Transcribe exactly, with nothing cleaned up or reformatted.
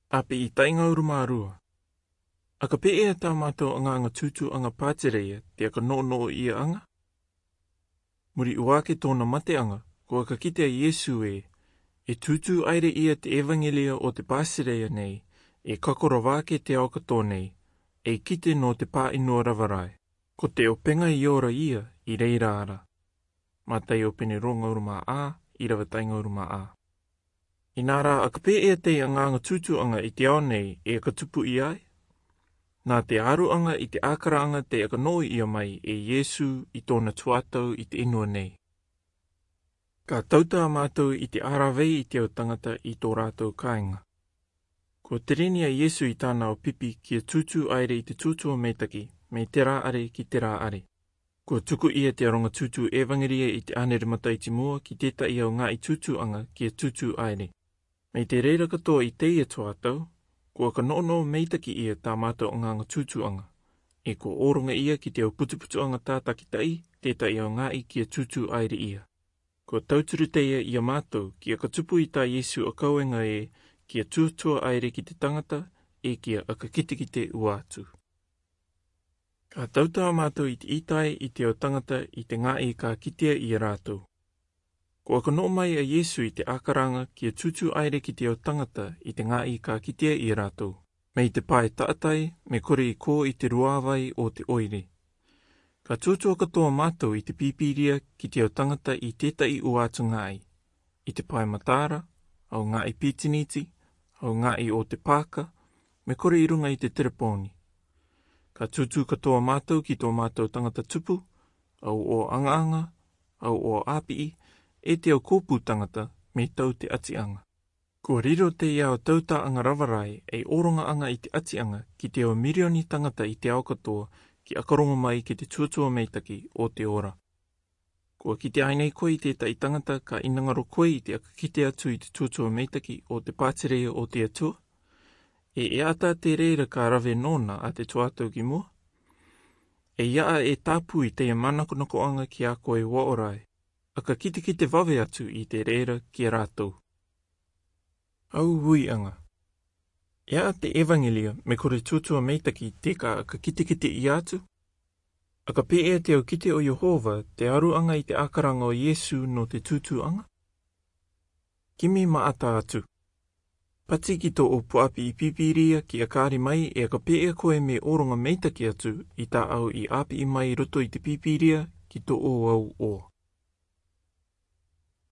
Api'i ta'i ngauru mā rua. Aka pē ē tā mātou angaanga tūtū'aŋa pātireia te aka no'ono'o ia'aŋa? Muri 'ua ake tō'ona mate'aŋa, ko aka kite a Iesu ē, e tūtū 'aire ia te evaŋelia o te pātireia nei, e kako rava ake te ao katoa nei, ei kite nō te pā'inua rava rae. Ko te 'opeŋa i ora ia i reira ra. Mataio pene rua ngauru mā 'ā, 'īrava ta'i ngauru mā 'ā. 'Ina rā, aka pē ē tei angaanga tūtū'aŋa i te ao nei e aka tupu i ai? Nā te aru'aŋa i te 'ākara'aŋa te aka no'o ia mai e Iesu i tō'ona tuatau i te 'inua nei. Ka tautā mātou i te 'āravei i te au taŋata i tō rātou kāiŋa. Ko terini a Iesu i tāna au pipi kia tūtū 'aire i te tūtū o mētaki, mai terā 'are ki terā 'are. Ko tuku ia te aroŋa tūtū evaŋelia i te 'ānere mataiti mua ki tēta'i au ŋā'i tūtū'aŋa kia tūtū 'aire. Mai te reira katoa i teie tuatau, ko aka no'ono'o mētaki ia tā mātou angaanga tūtū'aŋa. E ko oronga ia ki te au putuputu'aŋa tātakita'i, tēta'i au ŋā'i kia tūtū 'aire ia. Ko tauturu teie ia mātou, ki aka tupu i tā Iesu a kaueŋa ē, kia tūtū 'aire ki te taŋata, e kia aka kitekite ua atu. Ka tautā mātou i te 'itai i te au taŋata i te ŋā'i ka kitea ia rātou. Ko aka no'o mai a Iesu i te 'ākara'aŋa kia tūtū 'aire ki te au taŋata i te ŋā'i ka kitea ia rātou. Mai te pae ta'atai, me kore i kō i te ruāvai o te 'oire. Ka tūtū katoa mātou i te pīpīria ki te au taŋata i tēta'i ua atu ŋā'i. I te pae mataara, au ŋā'i pītiniti, au ŋā'i o te pāka, me kore i ruŋa i te tereponi. Ka tūtū katoa mātou ki tō mātou taŋata tupu, au 'o aŋa-aŋa, au 'o 'āpi'i, e te au kōpū taŋata, me tau te 'ati'aŋa. Kua riro teie au tauta'aŋa rava rae ei oronga'aŋa i te 'ati'aŋa ki te au mirioni taŋata i te ao katoa, ki aka roŋo mai ki te tūtū o mētaki o te ora. Kua kite ai nei koe i tēta'i taŋata ka 'inangaro koe i te aka kite atu i te tūtū o mētaki o te pātireia o te Atua? E, e 'ata te reira ka rave nōna a te tuatau ki mua? E 'ata e tāpū i teie manakonako'aŋa ki a koe va'ora ē. Aka kitekite vave atu i te reira ki a rātou. Au ui'aŋa. E 'ata te evaŋelia, me kore tūtū o mētaki te ka aka kitekite ia atu? Aka pē ē te au kite o Iehova, te aru'aŋa i te 'ākara'aŋa o Iesu nō te tūtū'aŋa? Kimi ma'ata atu. Pati ki tō'ou pu'api'i pīpīria ki a kāri mai e aka pē ē koe me oronga mētaki atu i tā au i 'āpi'i mai roto i te pīpīria ki tō'ou au 'oa.